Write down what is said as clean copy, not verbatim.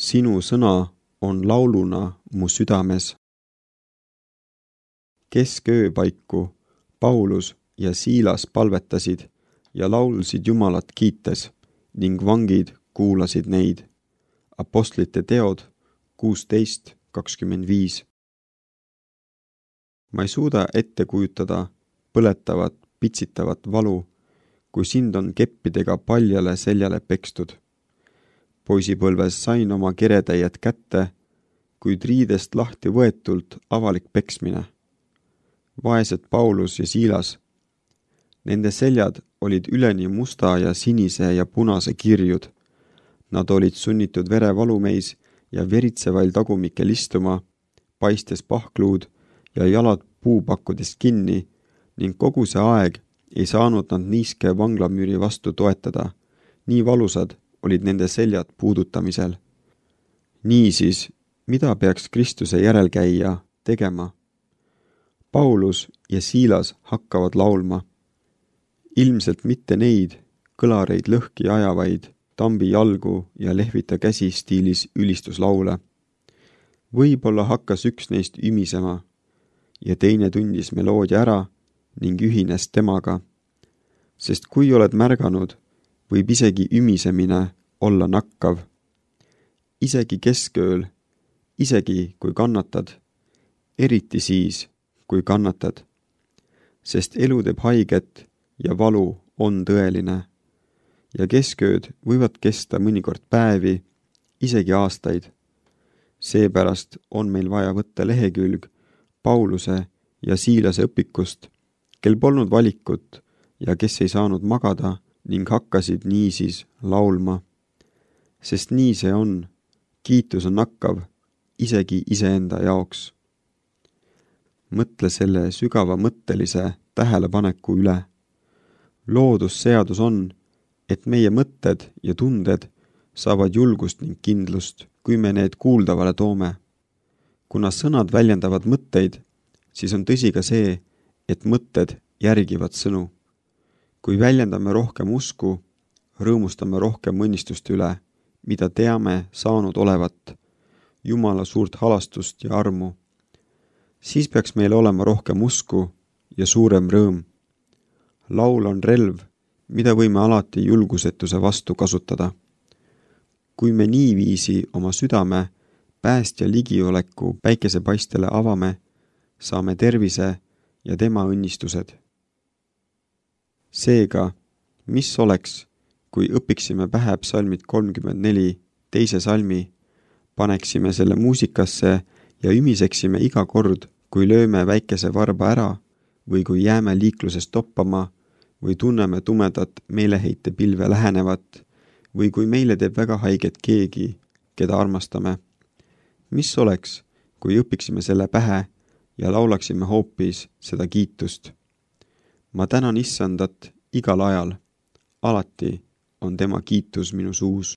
Sinu sõna on lauluna mu südames. Kesköö paiku Paulus ja Siilas palvetasid ja laulsid Jumalat kiites ning vangid kuulasid neid. Apostlite teod 16:25. Ma ei suuda ette kujutada põletavat, pitsitavat valu, kui sind on keppidega paljale seljale pekstud. Poisipõlves sain oma keretäied kätte, kuid riidest lahti võetult avalik peksmine. Vaesed Paulus ja Siilas. Nende seljad olid üleni musta ja sinise ja punase kirjud. Nad olid sunnitud verevalumeis ja veritsevail tagumikel istuma, paistes pahkluud ja jalad puupakkudest kinni ning kogu see aeg ei saanud nad niiske vanglamüüri vastu toetada. Nii valusad olid nende seljad puudutamisel. Niisiis, mida peaks Kristuse järelkäija tegema? Paulus ja Siilas hakkavad laulma. Ilmselt mitte neid kõlareid lõhki ajavaid, tambi jalgu ja lehvita käsi stiilis ülistuslaule. Võib-olla hakkas üks neist ümisema ja teine tundis meloodia ära ning ühines temaga. Sest kui oled märganud, võib isegi ümisemine olla nakkav. Isegi keskööl, isegi kui kannatad, eriti siis, kui kannatad. Sest elu teeb haiget ja valu on tõeline. Ja keskööd võivad kesta mõnikord päevi, isegi aastaid. Seepärast on meil vaja võtta lehekülg Pauluse ja Siilase õpikust, kel polnud valikut ja kes ei saanud magada ning hakkasid niisiis laulma. Sest nii see on, kiitus on nakkav, isegi iseenda jaoks. Mõtle selle sügava mõttelise tähelepaneku üle. Loodusseadus on, et meie mõtted ja tunded saavad julgust ning kindlust, kui me need kuuldavale toome. Kuna sõnad väljendavad mõtteid, siis on tõsi ka see, et mõtted järgivad sõnu. Kui väljendame rohkem usku, rõõmustame rohkem õnnistuste üle, mida teame saanud olevat, Jumala suurt halastust ja armu, siis peaks meil olema rohkem usku ja suurem rõõm. Laul on relv, mida võime alati julgusetuse vastu kasutada. Kui me niiviisi oma südame päästja ligioleku päikesepaistele avame, saame tervise ja tema õnnistused. Seega, mis oleks, kui õpiksime pähe psalmid 34 teise salmi, paneksime selle muusikasse ja ümiseksime iga kord, kui lööme väikese varba ära või kui jääme liikluses toppama või tunneme tumedat meeleheite pilve lähenevat või kui meile teeb väga haiget keegi, keda armastame. Mis oleks, kui õpiksime selle pähe ja laulaksime hoopis seda kiitust? Ma tänan Issandat igal ajal, alati on tema kiitus minu suus.